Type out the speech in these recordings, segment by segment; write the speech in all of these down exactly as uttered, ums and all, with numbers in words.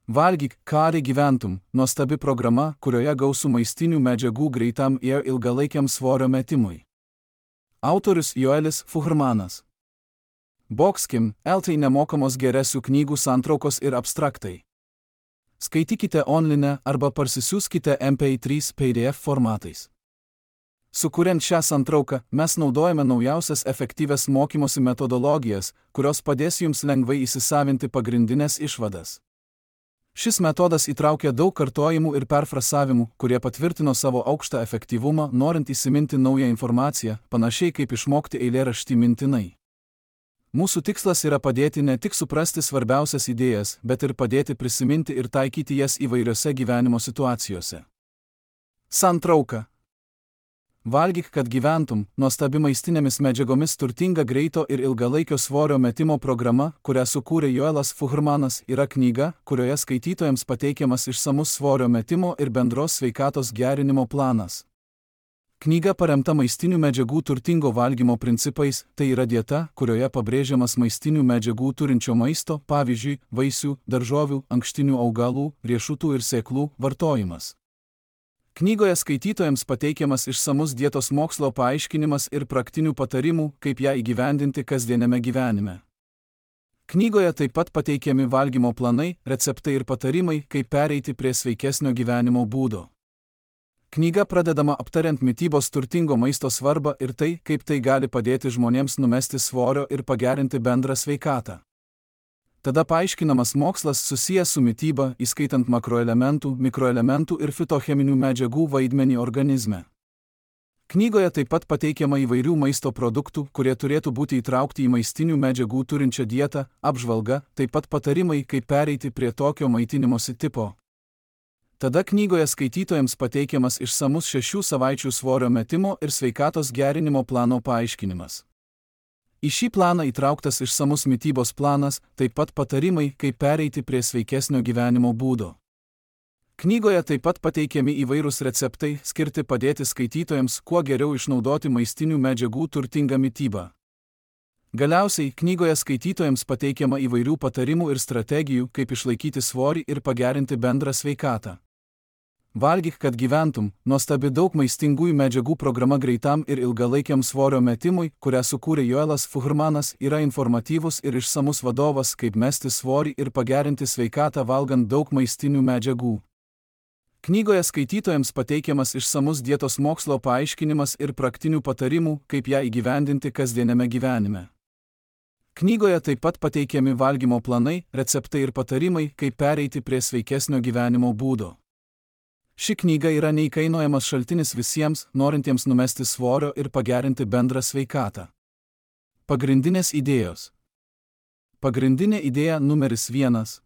Valgyk, kari gyventum, nuostabi programa, kurioje gausų maistinių medžiagų greitam ir ilgalaikiam svorio metimui. Autorius Joelis Fuhrmanas. Boxkim, eltai nemokamos geresių knygų santraukos ir abstraktai. Skaitykite online arba parsisiųskite M P trys P D F formatais. Sukuriant šią santrauką, mes naudojame naujausias efektyvias mokymosi metodologijas, kurios padės jums lengvai įsisavinti pagrindinės išvadas. Šis metodas įtraukia daug kartojimų ir perfrasavimų, kurie patvirtino savo aukštą efektyvumą, norint įsiminti naują informaciją, panašiai kaip išmokti eilėraštį mintinai. Mūsų tikslas yra padėti ne tik suprasti svarbiausias idėjas, bet ir padėti prisiminti ir taikyti jas įvairiose gyvenimo situacijose. Santrauka. Valgyk, kad gyventum, nuostabi maistinėmis medžiagomis turtinga greito ir ilgalaikio svorio metimo programa, kurią sukūrė Joelas Fuhrmanas, yra knyga, kurioje skaitytojams pateikiamas išsamus svorio metimo ir bendros sveikatos gerinimo planas. Knyga paremta maistinių medžiagų turtingo valgymo principais, tai yra dieta, kurioje pabrėžiamas maistinių medžiagų turinčio maisto, pavyzdžiui, vaisių, daržovių, ankštinių augalų, riešutų ir sėklų vartojimas. Knygoje skaitytojams pateikiamas išsamus dietos mokslo paaiškinimas ir praktinių patarimų, kaip ją įgyvendinti kasdieniame gyvenime. Knygoje taip pat pateikiami valgymo planai, receptai ir patarimai, kaip pereiti prie sveikesnio gyvenimo būdo. Knyga pradedama aptariant mitybos turtingo maisto svarbą ir tai, kaip tai gali padėti žmonėms numesti svorio ir pagerinti bendrą sveikatą. Tada paaiškinamas mokslas susijęs su mityba, įskaitant makroelementų, mikroelementų ir fitocheminių medžiagų vaidmenį organizme. Knygoje taip pat pateikiama įvairių maisto produktų, kurie turėtų būti įtraukti į maistinių medžiagų turinčią dietą, apžvalga, taip pat patarimai, kaip pereiti prie tokio maitinimosi tipo. Tada knygoje skaitytojams pateikiamas išsamus šešių savaičių svorio metimo ir sveikatos gerinimo plano paaiškinimas. Į šį planą įtrauktas išsamus mitybos planas, taip pat patarimai, kaip pereiti prie sveikesnio gyvenimo būdo. Knygoje taip pat pateikiami įvairūs receptai, skirti padėti skaitytojams, kuo geriau išnaudoti maistinių medžiagų turtingą mitybą. Galiausiai, knygoje skaitytojams pateikiama įvairių patarimų ir strategijų, kaip išlaikyti svorį ir pagerinti bendrą sveikatą. Valgyk, kad gyventum, nuostabi daug maistingųjų medžiagų programa greitam ir ilgalaikiam svorio metimui, kurią sukūrė Joelas Fuhrmanas, yra informatyvus ir išsamus vadovas, kaip mesti svorį ir pagerinti sveikatą valgant daug maistinių medžiagų. Knygoje skaitytojams pateikiamas išsamus dietos mokslo paaiškinimas ir praktinių patarimų, kaip ją įgyvendinti kasdieniame gyvenime. Knygoje taip pat pateikiami valgymo planai, receptai ir patarimai, kaip pereiti prie sveikesnio gyvenimo būdo. Ši knyga yra neįkainojamas šaltinis visiems, norintiems numesti svorio ir pagerinti bendrą sveikatą. Pagrindinės idėjos. Pagrindinė idėja numeris vienas.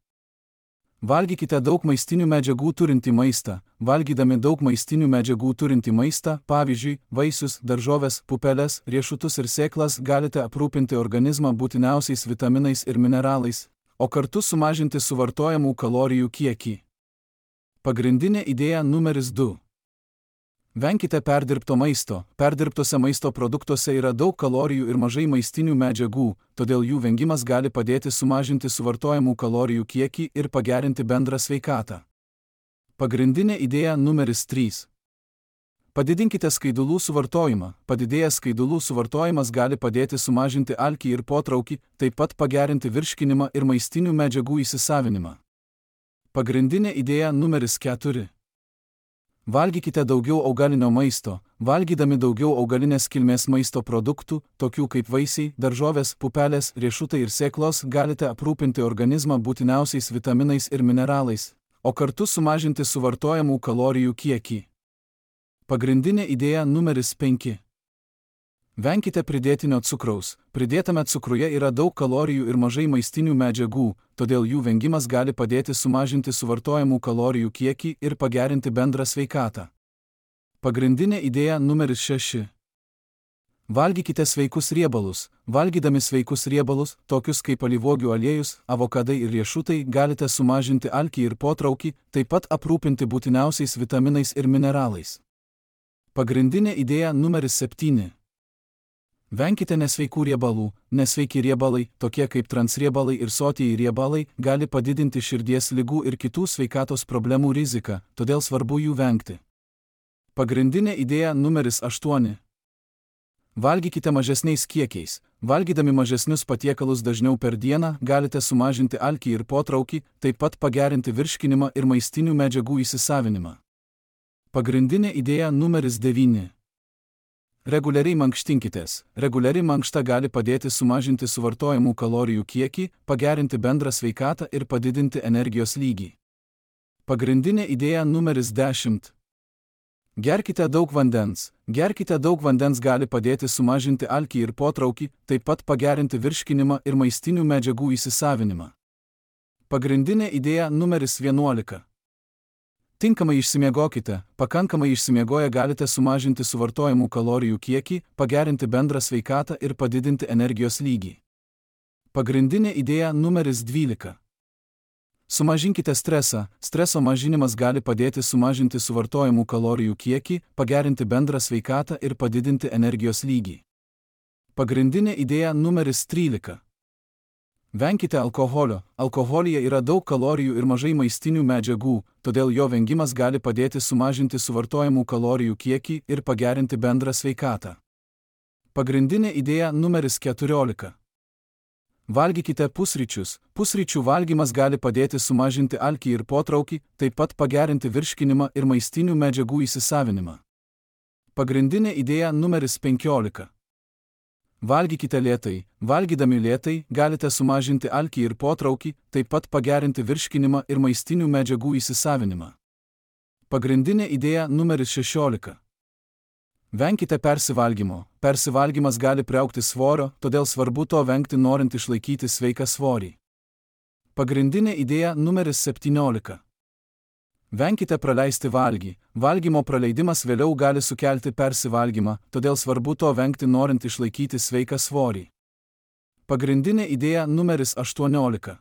Valgykite daug maistinių medžiagų turintį maistą. Valgydami daug maistinių medžiagų turintį maistą, pavyzdžiui, vaisius, daržoves, pupeles, riešutus ir sėklas, galite aprūpinti organizmą būtiniausiais vitaminais ir mineralais, o kartu sumažinti suvartojamų kalorijų kiekį. Pagrindinė idėja numeris du. Venkite perdirbto maisto. Perdirbtose maisto produktuose yra daug kalorijų ir mažai maistinių medžiagų, todėl jų vengimas gali padėti sumažinti suvartojamų kalorijų kiekį ir pagerinti bendrą sveikatą. Pagrindinė idėja numeris trys. Padidinkite skaidulų suvartojimą. Padidėjęs skaidulų suvartojimas gali padėti sumažinti alkį ir potraukį, taip pat pagerinti virškinimą ir maistinių medžiagų įsisavinimą. Pagrindinė idėja numeris keturi. Valgykite daugiau augalinio maisto. Valgydami daugiau augalinės kilmės maisto produktų, tokių kaip vaisiai, daržovės, pupelės, riešutai ir sėklos, galite aprūpinti organizmą būtiniausiais vitaminais ir mineralais, o kartu sumažinti suvartojamų kalorijų kiekį. Pagrindinė idėja numeris penki. Venkite pridėtinio cukraus. Pridėtame cukruje yra daug kalorijų ir mažai maistinių medžiagų, todėl jų vengimas gali padėti sumažinti suvartojamų kalorijų kiekį ir pagerinti bendrą sveikatą. Pagrindinė idėja numeris šeši. Valgykite sveikus riebalus. Valgydami sveikus riebalus, tokius kaip alyvuogių aliejus, avokadai ir riešutai, galite sumažinti alkį ir potraukį, taip pat aprūpinti būtiniausiais vitaminais ir mineralais. Pagrindinė idėja numeris septyni. Venkite nesveikų riebalų. Nesveiki riebalai, tokie kaip transriebalai ir sotieji riebalai, gali padidinti širdies ligų ir kitų sveikatos problemų riziką, todėl svarbu jų vengti. Pagrindinė idėja numeris aštuoni. Valgykite mažesniais kiekiais. Valgydami mažesnius patiekalus dažniau per dieną galite sumažinti alkį ir potraukį, taip pat pagerinti virškinimą ir maistinių medžiagų įsisavinimą. Pagrindinė idėja numeris devyni. Reguliariai mankštinkitės. Reguliari mankšta gali padėti sumažinti suvartojamų kalorijų kiekį, pagerinti bendrą sveikatą ir padidinti energijos lygį. Pagrindinė idėja numeris dešimt. Gerkite daug vandens. Gerkite daug vandens gali padėti sumažinti alkį ir potraukį, taip pat pagerinti virškinimą ir maistinių medžiagų įsisavinimą. Pagrindinė idėja numeris vienuolika. Tinkamai išsimiegokite. Pakankamai išsimiegoję galite sumažinti suvartojamų kalorijų kiekį, pagerinti bendrą sveikatą ir padidinti energijos lygį. Pagrindinė idėja numeris dvylika. Sumažinkite stresą. Streso mažinimas gali padėti sumažinti suvartojamų kalorijų kiekį, pagerinti bendrą sveikatą ir padidinti energijos lygį. Pagrindinė idėja numeris trylika. Venkite alkoholio. Alkoholyje yra daug kalorijų ir mažai maistinių medžiagų, todėl jo vengimas gali padėti sumažinti suvartojamų kalorijų kiekį ir pagerinti bendrą sveikatą. Pagrindinė idėja numeris keturiolika. Valgykite pusryčius. Pusryčių valgymas gali padėti sumažinti alkį ir potraukį, taip pat pagerinti virškinimą ir maistinių medžiagų įsisavinimą. Pagrindinė idėja numeris penkiolika. Valgykite lėtai. Valgydami lėtai galite sumažinti alkį ir potraukį, taip pat pagerinti virškinimą ir maistinių medžiagų įsisavinimą. Pagrindinė idėja numeris šešiolika. Venkite persivalgymo. Persivalgymas gali priaugti svorio, todėl svarbu to vengti norint išlaikyti sveiką svorį. Pagrindinė idėja numeris septyniolika. Venkite praleisti valgį. Valgymo praleidimas vėliau gali sukelti persivalgymą, todėl svarbu to vengti norint išlaikyti sveiką svorį. Pagrindinė idėja numeris aštuoniolika.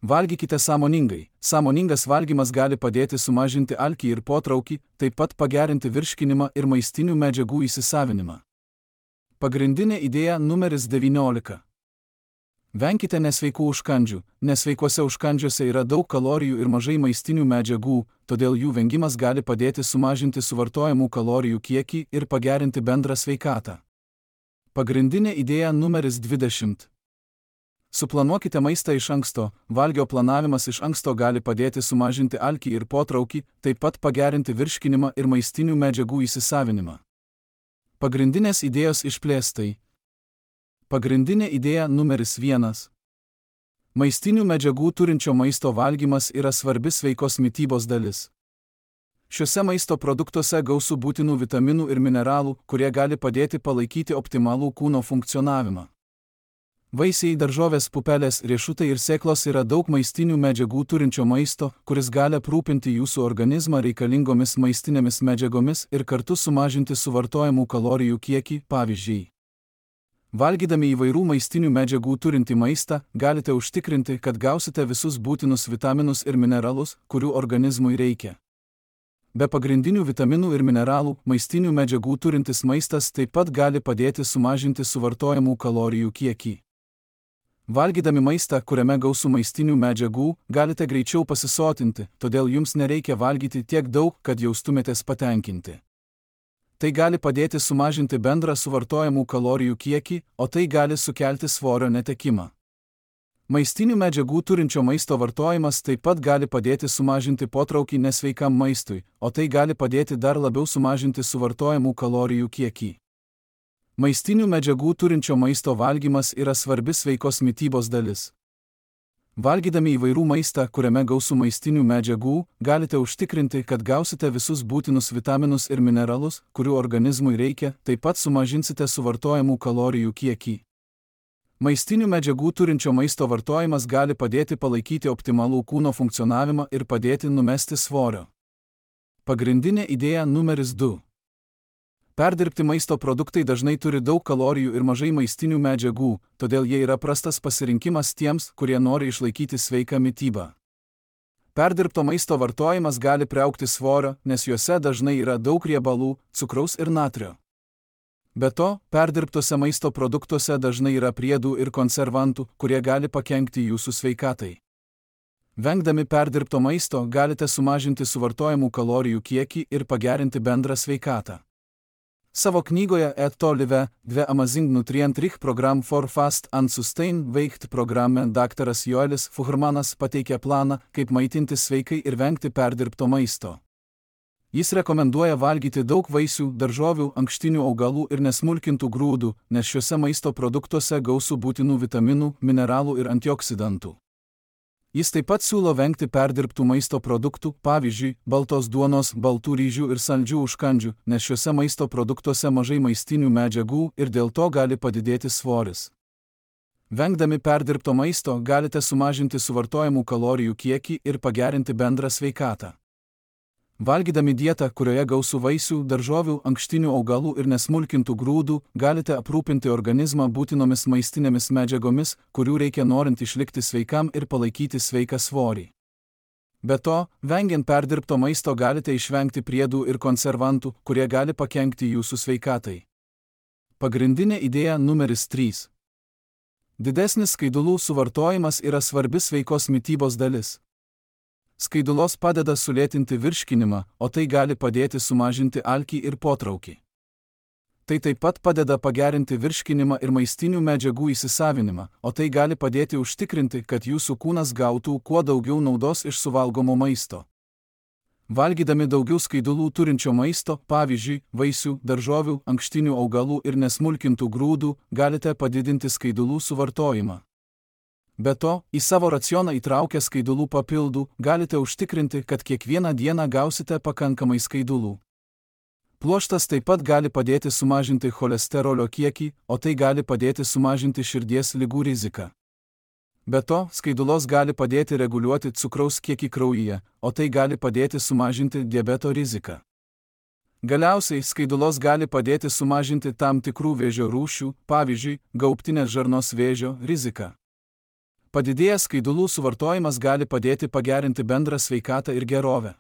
Valgykite sąmoningai. Sąmoningas valgymas gali padėti sumažinti alkį ir potraukį, taip pat pagerinti virškinimą ir maistinių medžiagų įsisavinimą. Pagrindinė idėja numeris devyniolika. Venkite nesveikų užkandžių. Nesveikuose užkandžiuose yra daug kalorijų ir mažai maistinių medžiagų, todėl jų vengimas gali padėti sumažinti suvartojamų kalorijų kiekį ir pagerinti bendrą sveikatą. Pagrindinė idėja numeris dvidešimt. Suplanuokite maistą iš anksto. Valgio planavimas iš anksto gali padėti sumažinti alkį ir potraukį, taip pat pagerinti virškinimą ir maistinių medžiagų įsisavinimą. Pagrindinės idėjos išplėstai. Pagrindinė idėja numeris vienas. Maistinių medžiagų turinčio maisto valgymas yra svarbi sveikos mitybos dalis. Šiuose maisto produktuose gausu būtinų vitaminų ir mineralų, kurie gali padėti palaikyti optimalų kūno funkcionavimą. Vaisiai, daržovės, pupelės, riešutai ir sėklos yra daug maistinių medžiagų turinčio maisto, kuris gali aprūpinti jūsų organizmą reikalingomis maistinėmis medžiagomis ir kartu sumažinti suvartojamų kalorijų kiekį, pavyzdžiui. Valgydami įvairių maistinių medžiagų turintį maistą, galite užtikrinti, kad gausite visus būtinus vitaminus ir mineralus, kurių organizmui reikia. Be pagrindinių vitaminų ir mineralų, maistinių medžiagų turintis maistas taip pat gali padėti sumažinti suvartojamų kalorijų kiekį. Valgydami maistą, kuriame gausu maistinių medžiagų, galite greičiau pasisotinti, todėl jums nereikia valgyti tiek daug, kad jaustumėtės patenkinti. Tai gali padėti sumažinti bendrą suvartojamų kalorijų kiekį, o tai gali sukelti svorio netekimą. Maistinių medžiagų turinčio maisto vartojimas taip pat gali padėti sumažinti potraukį nesveikam maistui, o tai gali padėti dar labiau sumažinti suvartojamų kalorijų kiekį. Maistinių medžiagų turinčio maisto valgymas yra svarbi sveikos mitybos dalis. Valgydami įvairių maistą, kuriame gausu maistinių medžiagų, galite užtikrinti, kad gausite visus būtinus vitaminus ir mineralus, kurių organizmui reikia, taip pat sumažinsite suvartojamų kalorijų kiekį. Maistinių medžiagų turinčio maisto vartojimas gali padėti palaikyti optimalų kūno funkcionavimą ir padėti numesti svorio. Pagrindinė idėja numeris du. Perdirbti maisto produktai dažnai turi daug kalorijų ir mažai maistinių medžiagų, todėl jie yra prastas pasirinkimas tiems, kurie nori išlaikyti sveiką mitybą. Perdirbto maisto vartojimas gali priaugti svorio, nes juose dažnai yra daug riebalų, cukraus ir natrio. Be to, perdirbtuose maisto produktuose dažnai yra priedų ir konservantų, kurie gali pakenkti jūsų sveikatai. Vengdami perdirbto maisto galite sumažinti suvartojamų kalorijų kiekį ir pagerinti bendrą sveikatą. Savo knygoje Eat to Live, The Amazing Nutrient Rich Program for Fast and Sustained Weight programe daktaras Joelis Fuhrmanas pateikia planą, kaip maitintis sveikai ir vengti perdirbto maisto. Jis rekomenduoja valgyti daug vaisių, daržovių, ankštinių augalų ir nesmulkintų grūdų, nes šiuose maisto produktuose gausu būtinų vitaminų, mineralų ir antioksidantų. Jis taip pat siūlo vengti perdirbtų maisto produktų, pavyzdžiui, baltos duonos, baltų ryžių ir saldžių užkandžių, nes šiuose maisto produktuose mažai maistinių medžiagų ir dėl to gali padidėti svoris. Vengdami perdirbto maisto galite sumažinti suvartojamų kalorijų kiekį ir pagerinti bendrą sveikatą. Valgydami dietą, kurioje gausu vaisių, daržovių, ankštinių augalų ir nesmulkintų grūdų, galite aprūpinti organizmą būtinomis maistinėmis medžiagomis, kurių reikia norint išlikti sveikam ir palaikyti sveiką svorį. Be to, vengiant perdirbto maisto galite išvengti priedų ir konservantų, kurie gali pakenkti jūsų sveikatai. Pagrindinė idėja numeris trys. Didesnis skaidulų suvartojimas yra svarbi sveikos mitybos dalis. Skaidulos padeda sulėtinti virškinimą, o tai gali padėti sumažinti alkį ir potraukį. Tai taip pat padeda pagerinti virškinimą ir maistinių medžiagų įsisavinimą, o tai gali padėti užtikrinti, kad jūsų kūnas gautų kuo daugiau naudos iš suvalgomo maisto. Valgydami daugiau skaidulų turinčio maisto, pavyzdžiui, vaisių, daržovių, ankštinių augalų ir nesmulkintų grūdų, galite padidinti skaidulų suvartojimą. Be to, į savo racioną įtraukę skaidulų papildų, galite užtikrinti, kad kiekvieną dieną gausite pakankamai skaidulų. Pluoštas taip pat gali padėti sumažinti cholesterolio kiekį, o tai gali padėti sumažinti širdies ligų riziką. Be to, skaidulos gali padėti reguliuoti cukraus kiekį kraujyje, o tai gali padėti sumažinti diabeto riziką. Galiausiai, skaidulos gali padėti sumažinti tam tikrų vėžio rūšių, pavyzdžiui, gaubtinės žarnos vėžio riziką. Padidėjęs skaidulų suvartojimas gali padėti pagerinti bendrą sveikatą ir gerovę.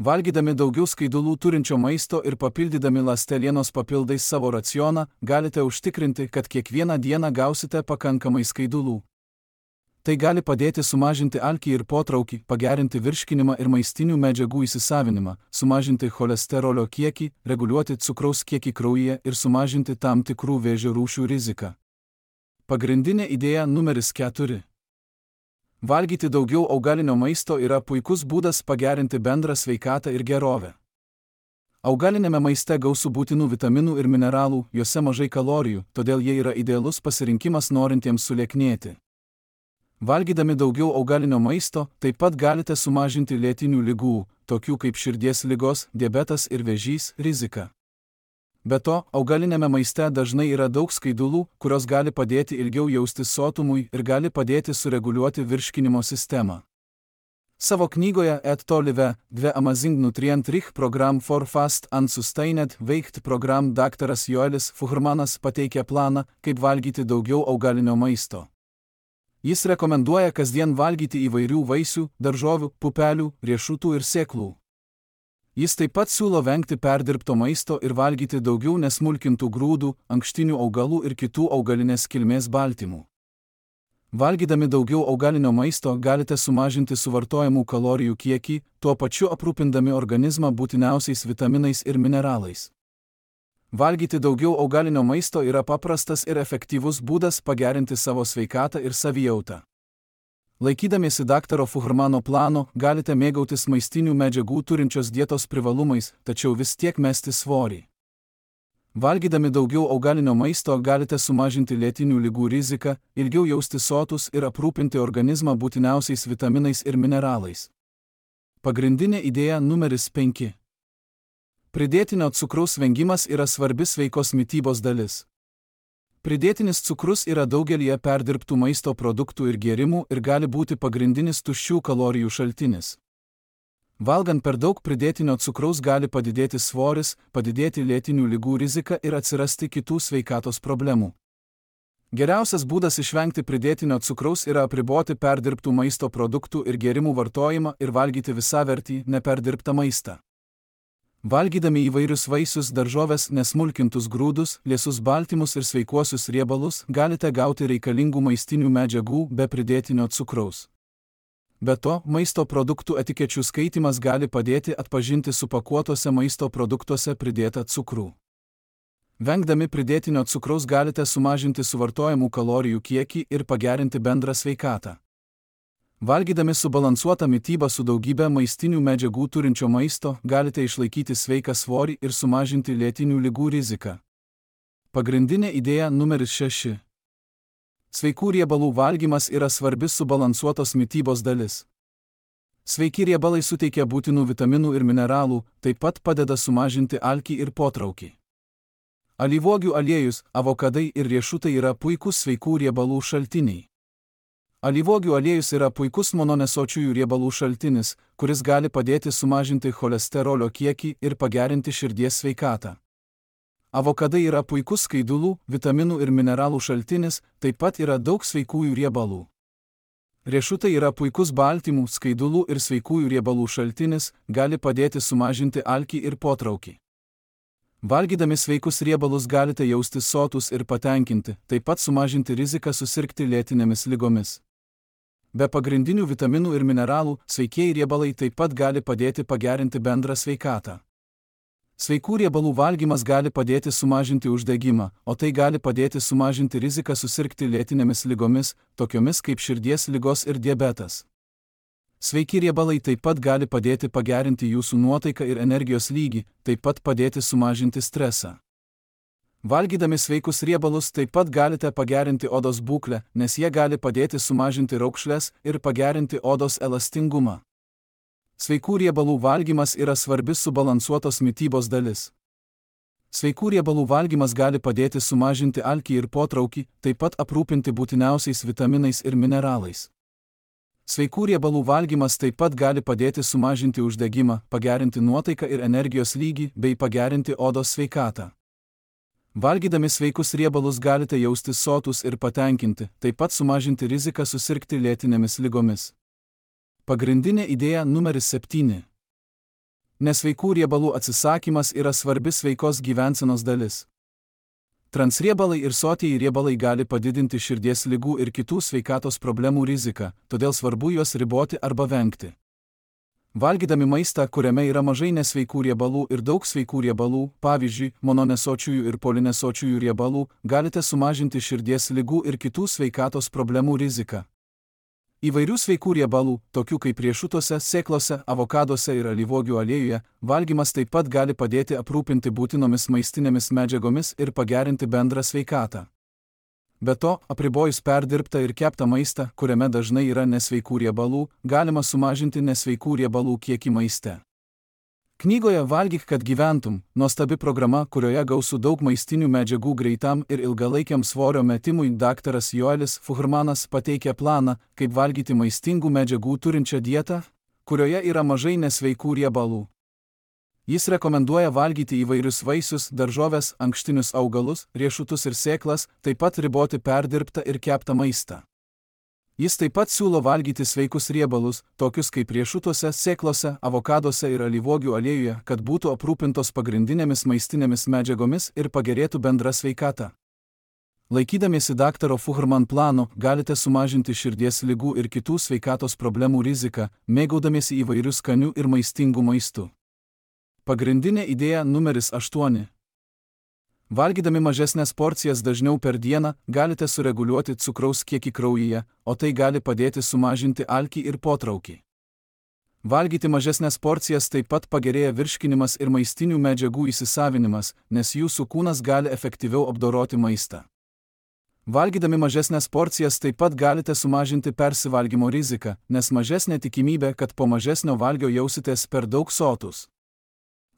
Valgydami daugiau skaidulų turinčio maisto ir papildydami ląstelienos papildais savo racioną, galite užtikrinti, kad kiekvieną dieną gausite pakankamai skaidulų. Tai gali padėti sumažinti alkį ir potraukį, pagerinti virškinimą ir maistinių medžiagų įsisavinimą, sumažinti cholesterolio kiekį, reguliuoti cukraus kiekį kraujyje ir sumažinti tam tikrų vėžio rūšių riziką. Pagrindinė idėja numeris keturi. Valgyti daugiau augalinio maisto yra puikus būdas pagerinti bendrą sveikatą ir gerovę. Augalinėme maiste gausu būtinų vitaminų ir mineralų, juose mažai kalorijų, todėl jie yra idealus pasirinkimas norintiems sulieknėti. Valgydami daugiau augalinio maisto, taip pat galite sumažinti lėtinių ligų, tokių kaip širdies ligos, diabetas ir vėžys, riziką. Be to, augalinėme maiste dažnai yra daug skaidulų, kurios gali padėti ilgiau jaustis sotumui ir gali padėti sureguliuoti virškinimo sistemą. Savo knygoje Eat to Live, The Amazing Nutrient Rich Program for Fast and Sustained Weight program daktaras Joelis Fuhrmanas pateikia planą, kaip valgyti daugiau augalinio maisto. Jis rekomenduoja kasdien valgyti įvairių vaisių, daržovių, pupelių, riešutų ir sėklų. Jis taip pat siūlo vengti perdirbto maisto ir valgyti daugiau nesmulkintų grūdų, ankštinių augalų ir kitų augalinės kilmės baltymų. Valgydami daugiau augalinio maisto galite sumažinti suvartojamų kalorijų kiekį, tuo pačiu aprūpindami organizmą būtiniausiais vitaminais ir mineralais. Valgyti daugiau augalinio maisto yra paprastas ir efektyvus būdas pagerinti savo sveikatą ir savijautą. Laikydamiesi daktaro Fuhrmano plano, galite mėgautis maistinių medžiagų turinčios dietos privalumais, tačiau vis tiek mesti svorį. Valgydami daugiau augalinio maisto galite sumažinti lėtinių ligų riziką, ilgiau jausti sotus ir aprūpinti organizmą būtiniausiais vitaminais ir mineralais. Pagrindinė idėja numeris penki. Pridėtinio cukraus vengimas yra svarbi sveikos mitybos dalis. Pridėtinis cukrus yra daugelyje perdirbtų maisto produktų ir gėrimų ir gali būti pagrindinis tuščių kalorijų šaltinis. Valgant per daug pridėtinio cukraus gali padidėti svoris, padidėti lėtinių ligų rizika ir atsirasti kitų sveikatos problemų. Geriausias būdas išvengti pridėtinio cukraus yra apriboti perdirbtų maisto produktų ir gėrimų vartojimą ir valgyti visavertį, neperdirbtą maistą. Valgydami įvairius vaisius, daržoves, nesmulkintus grūdus, liesus baltymus ir sveikuosius riebalus, galite gauti reikalingų maistinių medžiagų be pridėtinio cukraus. Be to, maisto produktų etikečių skaitimas gali padėti atpažinti supakuotose maisto produktuose pridėtą cukrų. Vengdami pridėtinio cukraus galite sumažinti suvartojamų kalorijų kiekį ir pagerinti bendrą sveikatą. Valgydami subalansuotą mitybą su daugybė maistinių medžiagų turinčio maisto, galite išlaikyti sveiką svorį ir sumažinti lėtinių ligų riziką. Pagrindinė idėja numeris šeši. Sveikų riebalų valgymas yra svarbi subalansuotos mitybos dalis. Sveiki riebalai suteikia būtinų vitaminų ir mineralų, taip pat padeda sumažinti alkį ir potraukį. Alyvuogių aliejus, avokadai ir riešutai yra puikūs sveikų riebalų šaltiniai. Alyvuogių aliejus yra puikus mononesočiųjų riebalų šaltinis, kuris gali padėti sumažinti cholesterolio kiekį ir pagerinti širdies sveikatą. Avokadai yra puikus skaidulų, vitaminų ir mineralų šaltinis, taip pat yra daug sveikųjų riebalų. Riešutai yra puikus baltymų, skaidulų ir sveikųjų riebalų šaltinis, gali padėti sumažinti alkį ir potraukį. Valgydami sveikus riebalus galite jaustis sotus ir patenkinti, taip pat sumažinti riziką susirgti lėtinėmis ligomis. Be pagrindinių vitaminų ir mineralų, sveikieji riebalai taip pat gali padėti pagerinti bendrą sveikatą. Sveikų riebalų valgymas gali padėti sumažinti uždegimą, o tai gali padėti sumažinti riziką susirgti lėtinėmis ligomis, tokiomis kaip širdies ligos ir diabetas. Sveiki riebalai taip pat gali padėti pagerinti jūsų nuotaiką ir energijos lygį, taip pat padėti sumažinti stresą. Valgydami sveikus riebalus taip pat galite pagerinti odos būklę, nes jie gali padėti sumažinti raukšles ir pagerinti odos elastingumą. Sveikų riebalų valgymas yra svarbi subalansuotos mitybos dalis. Sveikų riebalų valgymas gali padėti sumažinti alkį ir potraukį, taip pat aprūpinti būtiniausiais vitaminais ir mineralais. Sveikų riebalų valgymas taip pat gali padėti sumažinti uždegimą, pagerinti nuotaiką ir energijos lygį bei pagerinti odos sveikatą. Valgydami sveikus riebalus galite jaustis sotus ir patenkinti, taip pat sumažinti riziką susirgti lėtinėmis ligomis. Pagrindinė idėja numeris septyni. Nesveikų riebalų atsisakymas yra svarbi sveikos gyvensenos dalis. Transriebalai ir sotieji riebalai gali padidinti širdies ligų ir kitų sveikatos problemų riziką, todėl svarbu juos riboti arba vengti. Valgydami maistą, kuriame yra mažai nesveikų riebalų ir daug sveikų riebalų, pavyzdžiui, mononesočiųjų ir polinesočiųjų riebalų, galite sumažinti širdies ligų ir kitų sveikatos problemų riziką. Įvairių sveikų riebalų, tokių kaip riešutuose, sėklose, avokaduose ir alyvuogių aliejuje, valgymas taip pat gali padėti aprūpinti būtinomis maistinėmis medžiagomis ir pagerinti bendrą sveikatą. Be to, apribojus perdirbtą ir keptą maistą, kuriame dažnai yra nesveikų riebalų, galima sumažinti nesveikų riebalų kiekį maiste. Knygoje Valgyk, kad gyventum, nuostabi programa, kurioje gausu daug maistinių medžiagų greitam ir ilgalaikiam svorio metimui, daktaras Joelis Fuhrmanas pateikia planą, kaip valgyti maistingų medžiagų turinčią dietą, kurioje yra mažai nesveikų riebalų. Jis rekomenduoja valgyti įvairius vaisius, daržoves, ankštinius augalus, riešutus ir sėklas, taip pat riboti perdirbtą ir keptą maistą. Jis taip pat siūlo valgyti sveikus riebalus, tokius kaip riešutuose, sėklose, avokaduose ir alyvuogių aliejuje, kad būtų aprūpintos pagrindinėmis maistinėmis medžiagomis ir pagerėtų bendra sveikata. Laikydamiesi daktaro Fuhrman plano, galite sumažinti širdies ligų ir kitų sveikatos problemų riziką, mėgaudamiesi įvairių skanių ir maistingų maistų. Pagrindinė idėja numeris aštuoni. Valgydami mažesnės porcijas dažniau per dieną, galite sureguliuoti cukraus kiekį kraujyje, o tai gali padėti sumažinti alkį ir potraukį. Valgyti mažesnės porcijas taip pat pagerėja virškinimas ir maistinių medžiagų įsisavinimas, nes jūsų kūnas gali efektyviau apdoroti maistą. Valgydami mažesnės porcijas taip pat galite sumažinti persivalgymo riziką, nes mažesnė tikimybė, kad po mažesnio valgio jausitės per daug sotus.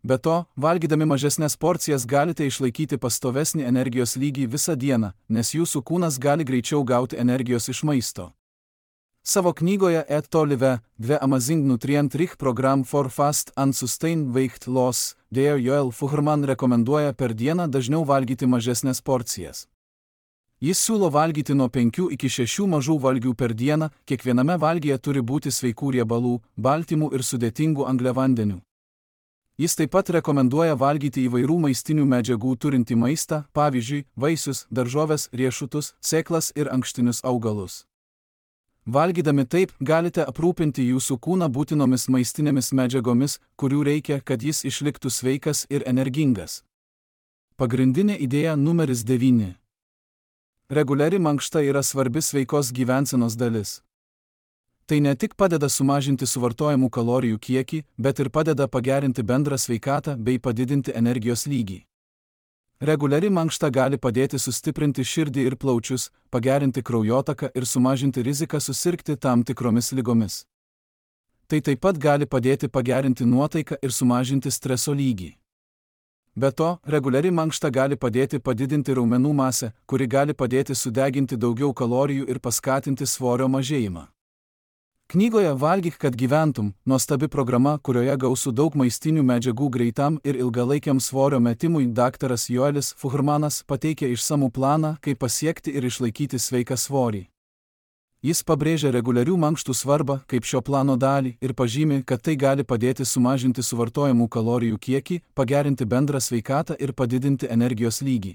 Be to, valgydami mažesnės porcijas galite išlaikyti pastovesnį energijos lygį visą dieną, nes jūsų kūnas gali greičiau gauti energijos iš maisto. Savo knygoje Et to live, The Amazing Nutrient Rich Program for Fast and Sustained Weight Loss, Dr. Joel Fuhrman rekomenduoja per dieną dažniau valgyti mažesnės porcijas. Jis siūlo valgyti nuo penkių iki šešių mažų valgių per dieną, kiekviename valgyje turi būti sveikų riebalų, baltymų ir sudėtingų angliavandenių. Jis taip pat rekomenduoja valgyti įvairių maistinių medžiagų turintį maistą, pavyzdžiui, vaisius, daržoves, riešutus, sėklas ir ankštinius augalus. Valgydami taip, galite aprūpinti jūsų kūną būtinomis maistinėmis medžiagomis, kurių reikia, kad jis išliktų sveikas ir energingas. Pagrindinė idėja numeris devyni. Reguliari mankšta yra svarbi sveikos gyvensenos dalis. Tai ne tik padeda sumažinti suvartojamų kalorijų kiekį, bet ir padeda pagerinti bendrą sveikatą bei padidinti energijos lygį. Reguliari mankšta gali padėti sustiprinti širdį ir plaučius, pagerinti kraujotaką ir sumažinti riziką susirgti tam tikromis ligomis. Tai taip pat gali padėti pagerinti nuotaiką ir sumažinti streso lygį. Be to, reguliari mankšta gali padėti padidinti raumenų masę, kuri gali padėti sudeginti daugiau kalorijų ir paskatinti svorio mažėjimą. Knygoje Valgyk, kad gyventum, nuostabi programa, kurioje gausu daug maistinių medžiagų greitam ir ilgalaikiam svorio metimui, daktaras Joelis Fuhrmanas pateikia išsamų planą, kaip pasiekti ir išlaikyti sveiką svorį. Jis pabrėžia reguliarių mankštų svarbą kaip šio plano dalį ir pažymi, kad tai gali padėti sumažinti suvartojamų kalorijų kiekį, pagerinti bendrą sveikatą ir padidinti energijos lygį.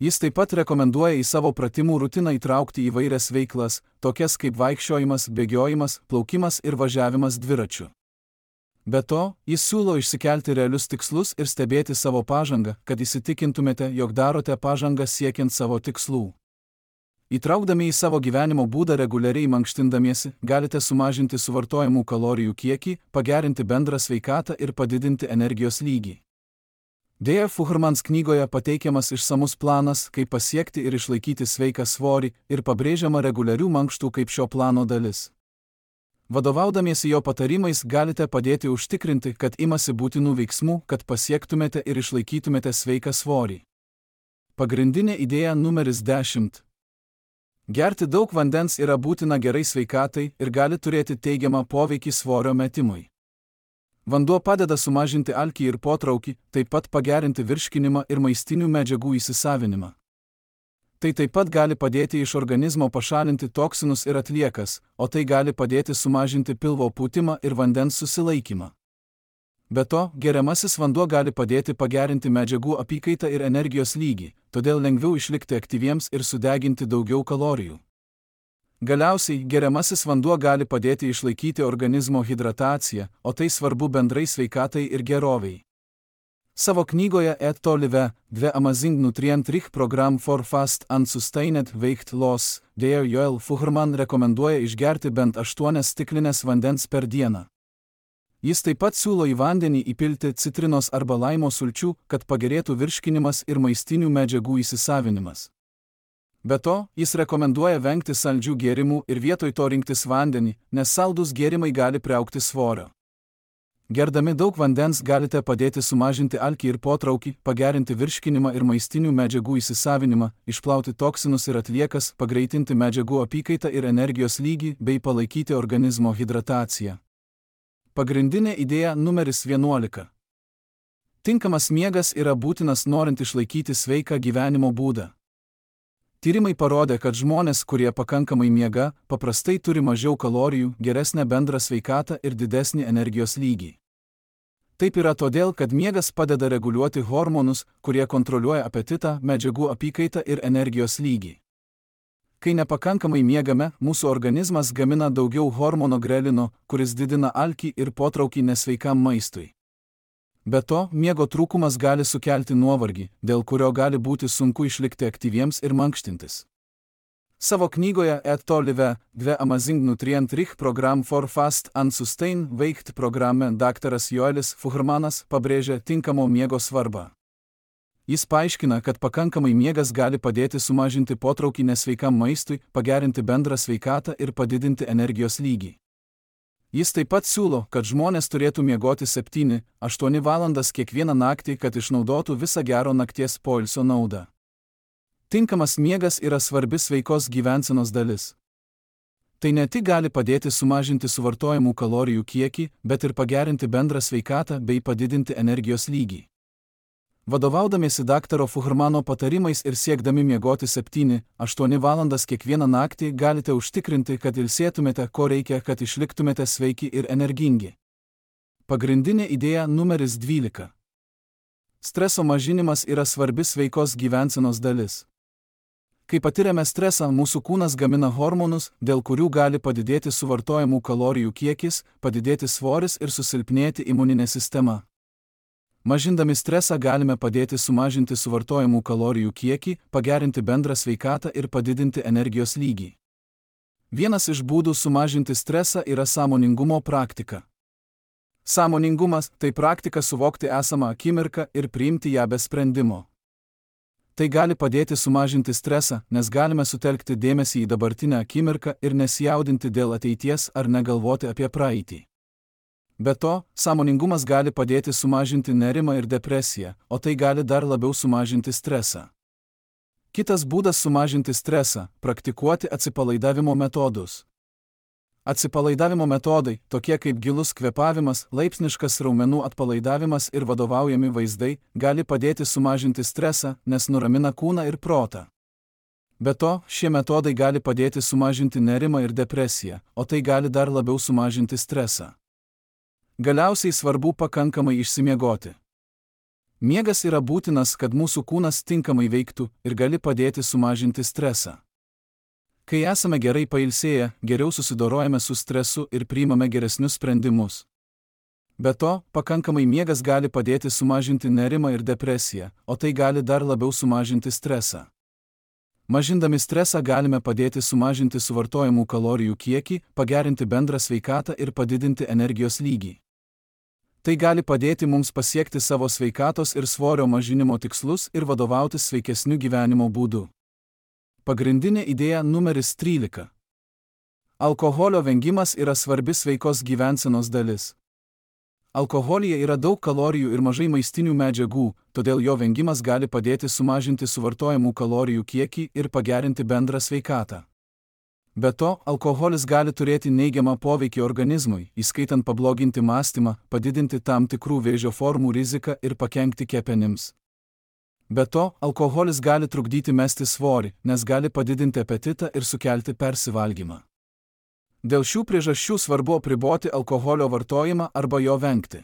Jis taip pat rekomenduoja į savo pratimų rutiną įtraukti įvairias veiklas, tokias kaip vaikščiojimas, bėgiojimas, plaukimas ir važiavimas dviračiu. Be to, jis siūlo išsikelti realius tikslus ir stebėti savo pažangą, kad įsitikintumėte, jog darote pažangą siekiant savo tikslų. Įtraukdami į savo gyvenimo būdą reguliariai mankštindamiesi, galite sumažinti suvartojamų kalorijų kiekį, pagerinti bendrą sveikatą ir padidinti energijos lygį. Deja, Fuhrmans knygoje pateikiamas išsamus planas, kaip pasiekti ir išlaikyti sveiką svorį, ir pabrėžiama reguliarių mankštų kaip šio plano dalis. Vadovaudamiesi jo patarimais galite padėti užtikrinti, kad imasi būtinų veiksmų, kad pasiektumėte ir išlaikytumėte sveiką svorį. Pagrindinė idėja numeris dešimt. Gerti daug vandens yra būtina gerai sveikatai ir gali turėti teigiamą poveikį svorio metimui. Vanduo padeda sumažinti alkį ir potraukį, taip pat pagerinti virškinimą ir maistinių medžiagų įsisavinimą. Tai taip pat gali padėti iš organizmo pašalinti toksinus ir atliekas, o tai gali padėti sumažinti pilvo pūtimą ir vandens susilaikymą. Be to, geriamasis vanduo gali padėti pagerinti medžiagų apykaitą ir energijos lygį, todėl lengviau išlikti aktyviems ir sudeginti daugiau kalorijų. Galiausiai, geriamasis vanduo gali padėti išlaikyti organizmo hidrataciją, o tai svarbu bendrai sveikatai ir geroviai. Savo knygoje Et to live, The Amazing Nutrient Rich Program for Fast and Sustained Weight Loss, Dr. Joel Fuhrman rekomenduoja išgerti bent aštuonias stiklines vandens per dieną. Jis taip pat siūlo į vandenį įpilti citrinos arba laimo sulčių, kad pagerėtų virškinimas ir maistinių medžiagų įsisavinimas. Be to, jis rekomenduoja vengti saldžių gėrimų ir vietoj to rinktis vandenį, nes saldūs gėrimai gali priaugti svorio. Gerdami daug vandens galite padėti sumažinti alkį ir potraukį, pagerinti virškinimą ir maistinių medžiagų įsisavinimą, išplauti toksinus ir atliekas, pagreitinti medžiagų apykaitą ir energijos lygį bei palaikyti organizmo hidrataciją. Pagrindinė idėja numeris vienuolika. Tinkamas miegas yra būtinas norint išlaikyti sveiką gyvenimo būdą. Tyrimai parodė, kad žmonės, kurie pakankamai miega, paprastai turi mažiau kalorijų, geresnę bendrą sveikatą ir didesnį energijos lygį. Taip yra todėl, kad miegas padeda reguliuoti hormonus, kurie kontroliuoja apetitą, medžiagų apykaitą ir energijos lygį. Kai nepakankamai miegame, mūsų organizmas gamina daugiau hormono grelino, kuris didina alkį ir potraukį nesveikam maistui. Be to, miego trūkumas gali sukelti nuovargį, dėl kurio gali būti sunku išlikti aktyviems ir mankštintis. Savo knygoje Et to live, The Amazing Nutrient Rich Program for Fast and Sustained Weight programe daktaras Joelis Fuhrmanas pabrėžia tinkamo miego svarbą. Jis paaiškina, kad pakankamai miegas gali padėti sumažinti potraukį nesveikam maistui, pagerinti bendrą sveikatą ir padidinti energijos lygį. Jis taip pat siūlo, kad žmonės turėtų miegoti septynias aštuonias valandas kiekvieną naktį, kad išnaudotų visą gero nakties poilsio naudą. Tinkamas miegas yra svarbi sveikos gyvensenos dalis. Tai ne tik gali padėti sumažinti suvartojamų kalorijų kiekį, bet ir pagerinti bendrą sveikatą bei padidinti energijos lygį. Vadovaudamiesi daktaro Fuhrmano patarimais ir siekdami miegoti septynias aštuonias valandas kiekvieną naktį, galite užtikrinti, kad ilsėtumėte, ko reikia, kad išliktumėte sveiki ir energingi. Pagrindinė idėja numeris dvylika. Streso mažinimas yra svarbi sveikos gyvensenos dalis. Kai patiriame stresą, mūsų kūnas gamina hormonus, dėl kurių gali padidėti suvartojamų kalorijų kiekis, padidėti svoris ir susilpnėti imuninė sistema. Mažindami stresą galime padėti sumažinti suvartojamų kalorijų kiekį, pagerinti bendrą sveikatą ir padidinti energijos lygį. Vienas iš būdų sumažinti stresą yra sąmoningumo praktika. Sąmoningumas – tai praktika suvokti esamą akimirką ir priimti ją be sprendimo. Tai gali padėti sumažinti stresą, nes galime sutelkti dėmesį į dabartinę akimirką ir nesijaudinti dėl ateities ar negalvoti apie praeitį. Be to, sąmoningumas gali padėti sumažinti nerimą ir depresiją, o tai gali dar labiau sumažinti stresą. Kitas būdas sumažinti stresą – praktikuoti atsipalaidavimo metodus. Atsipalaidavimo metodai, tokie kaip gilus kvėpavimas, laipsniškas raumenų atpalaidavimas ir vadovaujami vaizdai, gali padėti sumažinti stresą, nes nuramina kūną ir protą. Be to, šie metodai gali padėti sumažinti nerimą ir depresiją, o tai gali dar labiau sumažinti stresą. Galiausiai svarbu pakankamai išsimiegoti. Miegas yra būtinas, kad mūsų kūnas tinkamai veiktų ir gali padėti sumažinti stresą. Kai esame gerai pailsėję, geriau susidorojame su stresu ir priimame geresnius sprendimus. Be to, pakankamai miegas gali padėti sumažinti nerimą ir depresiją, o tai gali dar labiau sumažinti stresą. Mažindami stresą galime padėti sumažinti suvartojamų kalorijų kiekį, pagerinti bendrą sveikatą ir padidinti energijos lygį. Tai gali padėti mums pasiekti savo sveikatos ir svorio mažinimo tikslus ir vadovautis sveikesniu gyvenimo būdu. Pagrindinė idėja numeris trylika. Alkoholio vengimas yra svarbi sveikos gyvensenos dalis. Alkoholyje yra daug kalorijų ir mažai maistinių medžiagų, todėl jo vengimas gali padėti sumažinti suvartojamų kalorijų kiekį ir pagerinti bendrą sveikatą. Be to, alkoholis gali turėti neigiamą poveikį organizmui, įskaitant pabloginti mąstymą, padidinti tam tikrų vėžio formų riziką ir pakenkti kepenims. Be to, alkoholis gali trukdyti mesti svorį, nes gali padidinti apetitą ir sukelti persivalgymą. Dėl šių priežasčių svarbu apriboti alkoholio vartojimą arba jo vengti.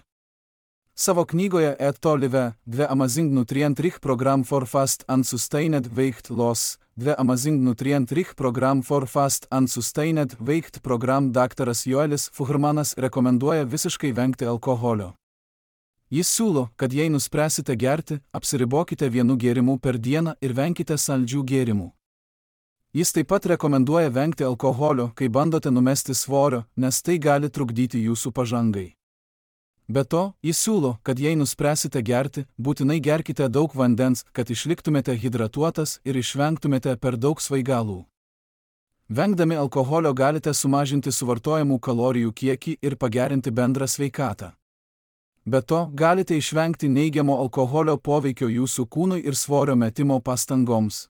Savo knygoje Eat to Live, The Amazing Nutrient Rich Program for Fast and Sustained Weight Loss, The Amazing Nutrient Rich Program for Fast and Sustained Weight Program daktaras Joelis Fuhrmanas rekomenduoja visiškai vengti alkoholio. Jis siūlo, kad jei nuspręsite gerti, apsiribokite vienu gėrimu per dieną ir venkite saldžių gėrimų. Jis taip pat rekomenduoja vengti alkoholio, kai bandote numesti svorio, nes tai gali trukdyti jūsų pažangai. Be to, jis siūlo, kad jei nuspręsite gerti, būtinai gerkite daug vandens, kad išliktumėte hidratuotas ir išvengtumėte per daug svaigalų. Vengdami alkoholio galite sumažinti suvartojamų kalorijų kiekį ir pagerinti bendrą sveikatą. Be to, galite išvengti neigiamo alkoholio poveikio jūsų kūnui ir svorio metimo pastangoms.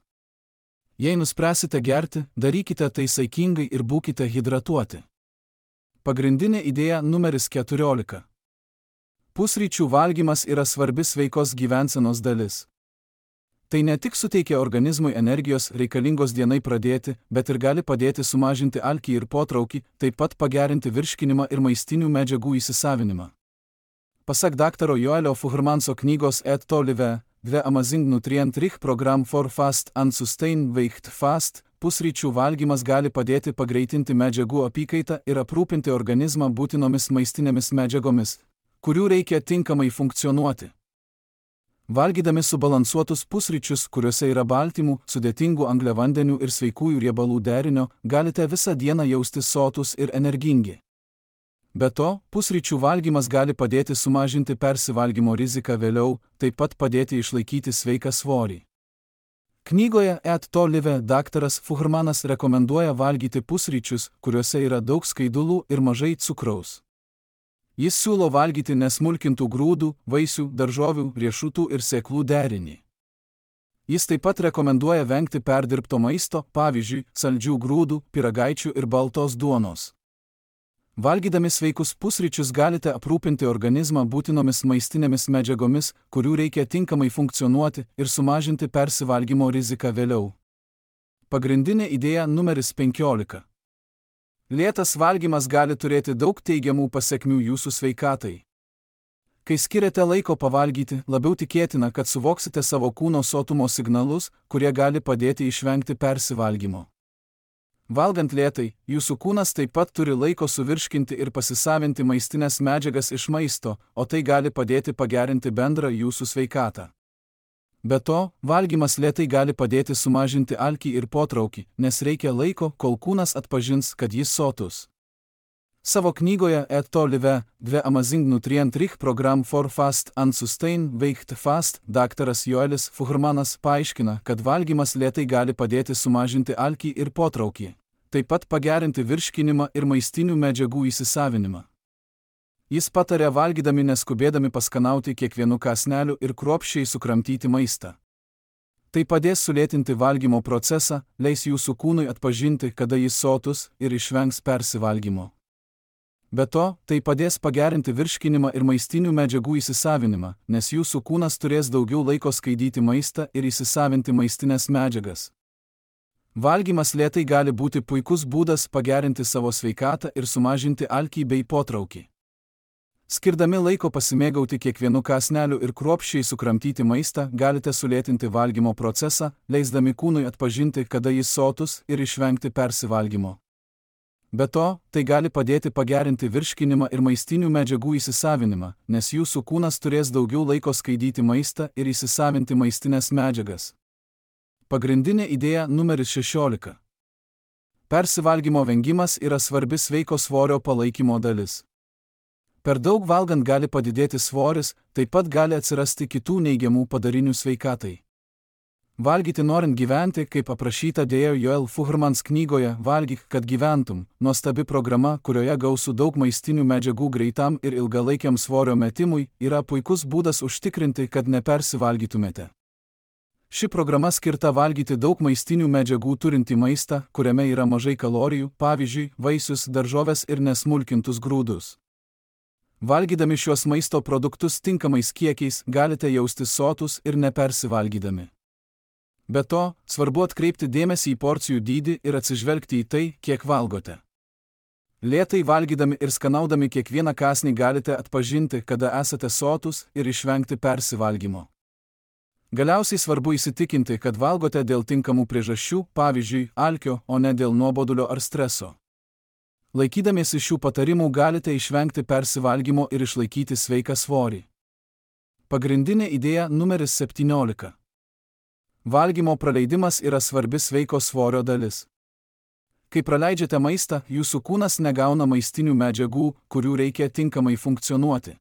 Jei nuspręsite gerti, darykite tai saikingai ir būkite hidratuoti. Pagrindinė idėja numeris keturiolika. Pusryčių valgymas yra svarbi sveikos gyvensenos dalis. Tai ne tik suteikia organizmui energijos reikalingos dienai pradėti, bet ir gali padėti sumažinti alkį ir potraukį, taip pat pagerinti virškinimą ir maistinių medžiagų įsisavinimą. Pasak daktaro Joelio Fuhrmanso knygos Eat to Live, The Amazing Nutrient Rich Program for Fast and Sustained Weight Fast, pusryčių valgymas gali padėti pagreitinti medžiagų apykaitą ir aprūpinti organizmą būtinomis maistinėmis medžiagomis, kurių reikia tinkamai funkcionuoti. Valgydami subalansuotus pusryčius, kuriuose yra baltymų, sudėtingų angliavandenių ir sveikųjų riebalų derinio, galite visą dieną jaustis sotus ir energingi. Be to, pusryčių valgymas gali padėti sumažinti persivalgymo riziką vėliau, taip pat padėti išlaikyti sveiką svorį. Knygoje Eat to Live daktaras Fuhrmanas rekomenduoja valgyti pusryčius, kuriuose yra daug skaidulų ir mažai cukraus. Jis siūlo valgyti nesmulkintų grūdų, vaisių, daržovių, riešutų ir sėklų derinį. Jis taip pat rekomenduoja vengti perdirbto maisto, pavyzdžiui, saldžių grūdų, pyragaičių ir baltos duonos. Valgydami sveikus pusryčius galite aprūpinti organizmą būtinomis maistinėmis medžiagomis, kurių reikia tinkamai funkcionuoti ir sumažinti persivalgymo riziką vėliau. Pagrindinė idėja numeris penkiolika. Lėtas valgymas gali turėti daug teigiamų pasekmių jūsų sveikatai. Kai skiriate laiko pavalgyti, labiau tikėtina, kad suvoksite savo kūno sotumo signalus, kurie gali padėti išvengti persivalgymo. Valgant lėtai, jūsų kūnas taip pat turi laiko suvirškinti ir pasisavinti maistinės medžiagas iš maisto, o tai gali padėti pagerinti bendrą jūsų sveikatą. Be to, valgymas lėtai gali padėti sumažinti alkį ir potraukį, nes reikia laiko, kol kūnas atpažins, kad jis sotus. Savo knygoje Et to live, The Amazing Nutrient Rich Program for Fast and Sustain Weight Fast, daktaras Joelis Fuhrmanas paaiškina, kad valgymas lėtai gali padėti sumažinti alkį ir potraukį, taip pat pagerinti virškinimą ir maistinių medžiagų įsisavinimą. Jis patarė valgydami neskubėdami paskanauti kiekvienu kąsneliu ir kruopščiai sukramtyti maistą. Tai padės sulėtinti valgymo procesą, leis jūsų kūnui atpažinti, kada jis sotus ir išvengs persivalgymo. Be to, tai padės pagerinti virškinimą ir maistinių medžiagų įsisavinimą, nes jūsų kūnas turės daugiau laiko skaidyti maistą ir įsisavinti maistinės medžiagas. Valgymas lėtai gali būti puikus būdas pagerinti savo sveikatą ir sumažinti alkį bei potraukį. Skirdami laiko pasimėgauti kiekvienu kąsneliu ir kruopščiai sukramtyti maistą, galite sulėtinti valgymo procesą, leisdami kūnui atpažinti, kada jis sotus ir išvengti persivalgymo. Be to, tai gali padėti pagerinti virškinimą ir maistinių medžiagų įsisavinimą, nes jūsų kūnas turės daugiau laiko skaidyti maistą ir įsisavinti maistinės medžiagas. Pagrindinė idėja numeris šešiolika. Persivalgymo vengimas yra svarbi sveiko svorio palaikymo dalis. Per daug valgant gali padidėti svoris, taip pat gali atsirasti kitų neigiamų padarinių sveikatai. Valgyti norint gyventi, kaip aprašyta dėjo Joel Fuhrmans knygoje Valgyk, kad gyventum, nuostabi programa, kurioje gausu daug maistinių medžiagų greitam ir ilgalaikiam svorio metimui, yra puikus būdas užtikrinti, kad nepersivalgytumėte. Ši programa skirta valgyti daug maistinių medžiagų turintį maistą, kuriame yra mažai kalorijų, pavyzdžiui, vaisius, daržoves ir nesmulkintus grūdus. Valgydami šiuos maisto produktus tinkamais kiekiais, galite jaustis sotus ir nepersivalgydami. Be to, svarbu atkreipti dėmesį į porcijų dydį ir atsižvelgti į tai, kiek valgote. Lėtai valgydami ir skanaudami kiekvieną kąsnį galite atpažinti, kada esate sotus ir išvengti persivalgymo. Galiausiai svarbu įsitikinti, kad valgote dėl tinkamų priežasčių, pavyzdžiui, alkio, o ne dėl nuobodulio ar streso. Laikydamiesi šių patarimų galite išvengti persivalgymo ir išlaikyti sveiką svorį. Pagrindinė idėja numeris septyniolika. Valgymo praleidimas yra svarbi sveiko svorio dalis. Kai praleidžiate maistą, jūsų kūnas negauna maistinių medžiagų, kurių reikia tinkamai funkcionuoti.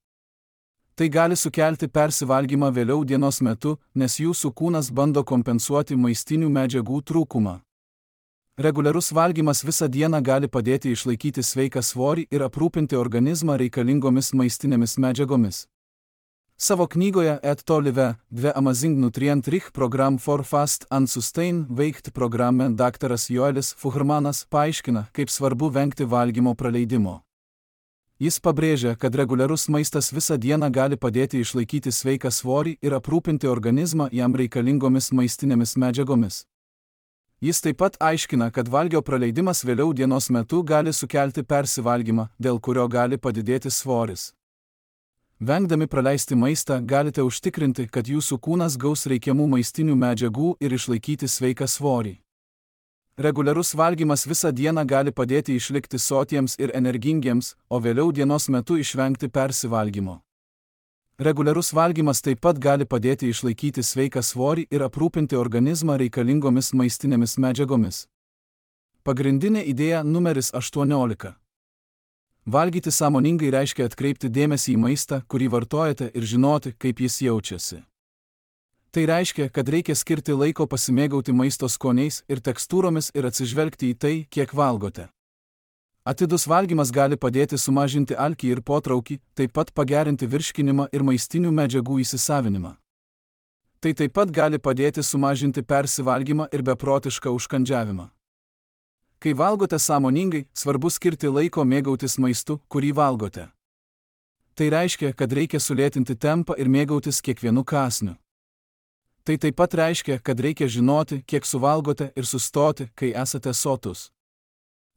Tai gali sukelti persivalgymą vėliau dienos metu, nes jūsų kūnas bando kompensuoti maistinių medžiagų trūkumą. Reguliarus valgymas visą dieną gali padėti išlaikyti sveiką svorį ir aprūpinti organizmą reikalingomis maistinėmis medžiagomis. Savo knygoje Et to live, The Amazing Nutrient Rich Program for Fast and Sustain Weight programe daktaras Joelis Fuhrmanas paaiškina, kaip svarbu vengti valgymo praleidimo. Jis pabrėžia, kad reguliarus maistas visą dieną gali padėti išlaikyti sveiką svorį ir aprūpinti organizmą jam reikalingomis maistinėmis medžiagomis. Jis taip pat aiškina, kad valgio praleidimas vėliau dienos metu gali sukelti persivalgymą, dėl kurio gali padidėti svoris. Vengdami praleisti maistą galite užtikrinti, kad jūsų kūnas gaus reikiamų maistinių medžiagų ir išlaikyti sveiką svorį. Reguliarus valgymas visą dieną gali padėti išlikti sotiems ir energingiems, o vėliau dienos metu išvengti persivalgymo. Reguliarus valgymas taip pat gali padėti išlaikyti sveiką svorį ir aprūpinti organizmą reikalingomis maistinėmis medžiagomis. Pagrindinė idėja numeris aštuoniolika. Valgyti sąmoningai reiškia atkreipti dėmesį į maistą, kurį vartojate ir žinoti, kaip jis jaučiasi. Tai reiškia, kad reikia skirti laiko pasimėgauti maisto skoniais ir tekstūromis ir atsižvelgti į tai, kiek valgote. Atidus valgymas gali padėti sumažinti alkį ir potraukį, taip pat pagerinti virškinimą ir maistinių medžiagų įsisavinimą. Tai taip pat gali padėti sumažinti persivalgymą ir beprotišką užkandžiavimą. Kai valgote sąmoningai, svarbu skirti laiko mėgautis maistu, kurį valgote. Tai reiškia, kad reikia sulėtinti tempą ir mėgautis kiekvienu kąsniu. Tai taip pat reiškia, kad reikia žinoti, kiek suvalgote ir sustoti, kai esate sotus.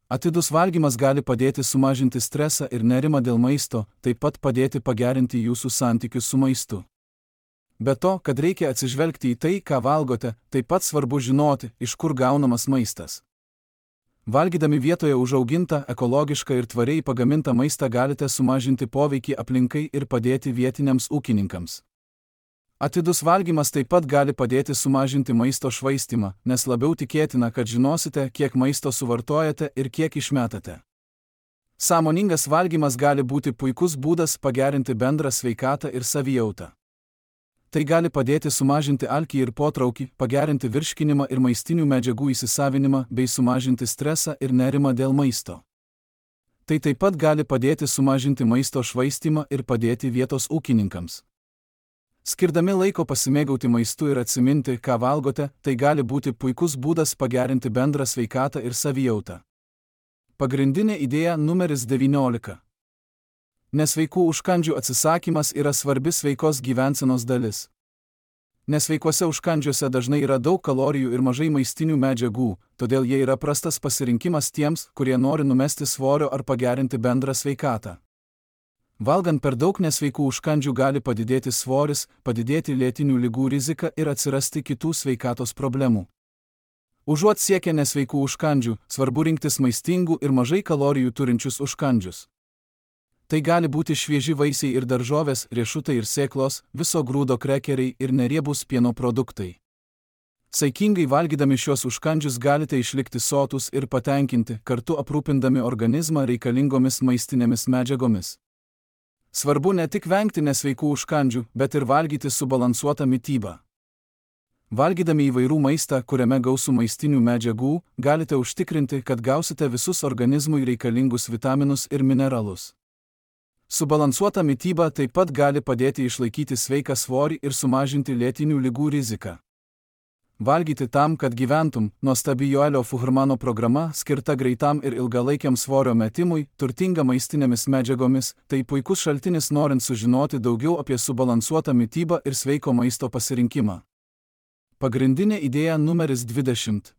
Atidus valgymas gali padėti sumažinti stresą ir nerimą dėl maisto, taip pat padėti pagerinti jūsų santykius su maistu. Be to, kad reikia atsižvelgti į tai, ką valgote, taip pat svarbu žinoti, iš kur gaunamas maistas. Valgydami vietoje užaugintą, ekologišką ir tvariai pagamintą maistą galite sumažinti poveikį aplinkai ir padėti vietiniams ūkininkams. Atidus valgymas taip pat gali padėti sumažinti maisto švaistymą, nes labiau tikėtina, kad žinosite, kiek maisto suvartojate ir kiek išmetate. Sąmoningas valgymas gali būti puikus būdas pagerinti bendrą sveikatą ir savijautą. Tai gali padėti sumažinti alkį ir potraukį, pagerinti virškinimą ir maistinių medžiagų įsisavinimą bei sumažinti stresą ir nerimą dėl maisto. Tai taip pat gali padėti sumažinti maisto švaistymą ir padėti vietos ūkininkams. Skirdami laiko pasimėgauti maistu ir atsiminti, ką valgote, tai gali būti puikus būdas pagerinti bendrą sveikatą ir savijautą. Pagrindinė idėja numeris devyniolika. Nesveikų užkandžių atsisakymas yra svarbi sveikos gyvensenos dalis. Nesveikuose užkandžiuose dažnai yra daug kalorijų ir mažai maistinių medžiagų, todėl jie yra prastas pasirinkimas tiems, kurie nori numesti svorio ar pagerinti bendrą sveikatą. Valgant per daug nesveikų užkandžių gali padidėti svoris, padidėti lėtinių ligų rizika ir atsirasti kitų sveikatos problemų. Užuot siekę nesveikų užkandžių, svarbu rinktis maistingų ir mažai kalorijų turinčius užkandžius. Tai gali būti švieži vaisiai ir daržovės, riešutai ir sėklos, viso grūdo krekeriai ir neriebūs pieno produktai. Saikingai valgydami šios užkandžius galite išlikti sotūs ir patenkinti, kartu aprūpindami organizmą reikalingomis maistinėmis medžiagomis. Svarbu ne tik vengti nesveikų užkandžių, bet ir valgyti subalansuotą mitybą. Valgydami įvairių maistą, kuriame gausu maistinių medžiagų, galite užtikrinti, kad gausite visus organizmui reikalingus vitaminus ir mineralus. Subalansuota mityba taip pat gali padėti išlaikyti sveiką svorį ir sumažinti lėtinių ligų riziką. Valgyti tam, kad gyventum, nuostabi Joelio Fuhrmano programa, skirta greitam ir ilgalaikiam svorio metimui, turtinga maistinėmis medžiagomis, tai puikus šaltinis norint sužinoti daugiau apie subalansuotą mitybą ir sveiko maisto pasirinkimą. Pagrindinė idėja numeris dvidešimt.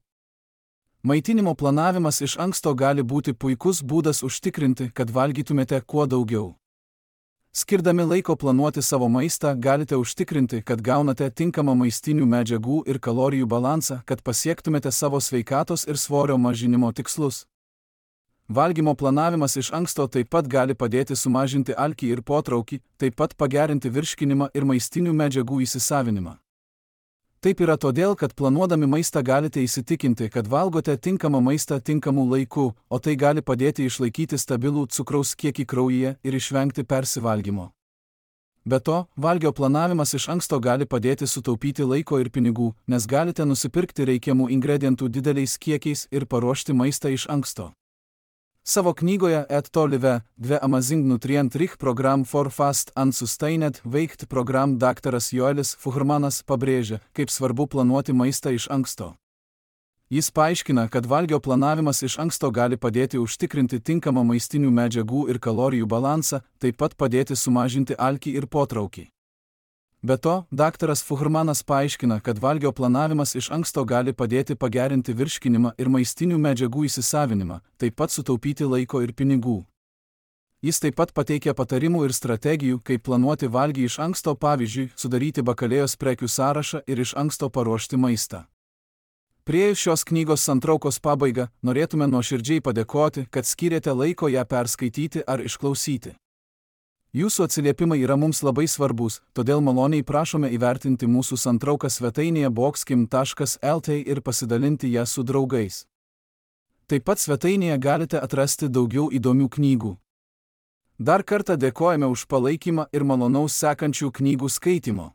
Maitinimo planavimas iš anksto gali būti puikus būdas užtikrinti, kad valgytumėte kuo daugiau. Skirdami laiko planuoti savo maistą, galite užtikrinti, kad gaunate tinkamą maistinių medžiagų ir kalorijų balansą, kad pasiektumėte savo sveikatos ir svorio mažinimo tikslus. Valgymo planavimas iš anksto taip pat gali padėti sumažinti alkį ir potraukį, taip pat pagerinti virškinimą ir maistinių medžiagų įsisavinimą. Taip yra todėl, kad planuodami maistą galite įsitikinti, kad valgote tinkamą maistą tinkamu laiku, o tai gali padėti išlaikyti stabilų cukraus kiekį kraujyje ir išvengti persivalgymo. Be to, valgio planavimas iš anksto gali padėti sutaupyti laiko ir pinigų, nes galite nusipirkti reikiamų ingredientų dideliais kiekiais ir paruošti maistą iš anksto. Savo knygoje Et to live, The Amazing Nutrient Rich Program for Fast and Sustained Weight Program daktaras Joelis Fuhrmanas pabrėžia, kaip svarbu planuoti maistą iš anksto. Jis paaiškina, kad valgio planavimas iš anksto gali padėti užtikrinti tinkamą maistinių medžiagų ir kalorijų balansą, taip pat padėti sumažinti alkį ir potraukį. Be to, daktaras Fuhrmanas paaiškina, kad valgio planavimas iš anksto gali padėti pagerinti virškinimą ir maistinių medžiagų įsisavinimą, taip pat sutaupyti laiko ir pinigų. Jis taip pat pateikia patarimų ir strategijų, kaip planuoti valgį iš anksto, pavyzdžiui, sudaryti bakalėjos prekių sąrašą ir iš anksto paruošti maistą. Priėjus šios knygos santraukos pabaigą, norėtume nuoširdžiai padėkoti, kad skyrėte laiko ją perskaityti ar išklausyti. Jūsų atsiliepimai yra mums labai svarbus, todėl maloniai prašome įvertinti mūsų santrauką svetainėje boxkim taškas el t ir pasidalinti ją su draugais. Taip pat svetainėje galite atrasti daugiau įdomių knygų. Dar kartą dėkojame už palaikymą ir malonaus sekančių knygų skaitimo.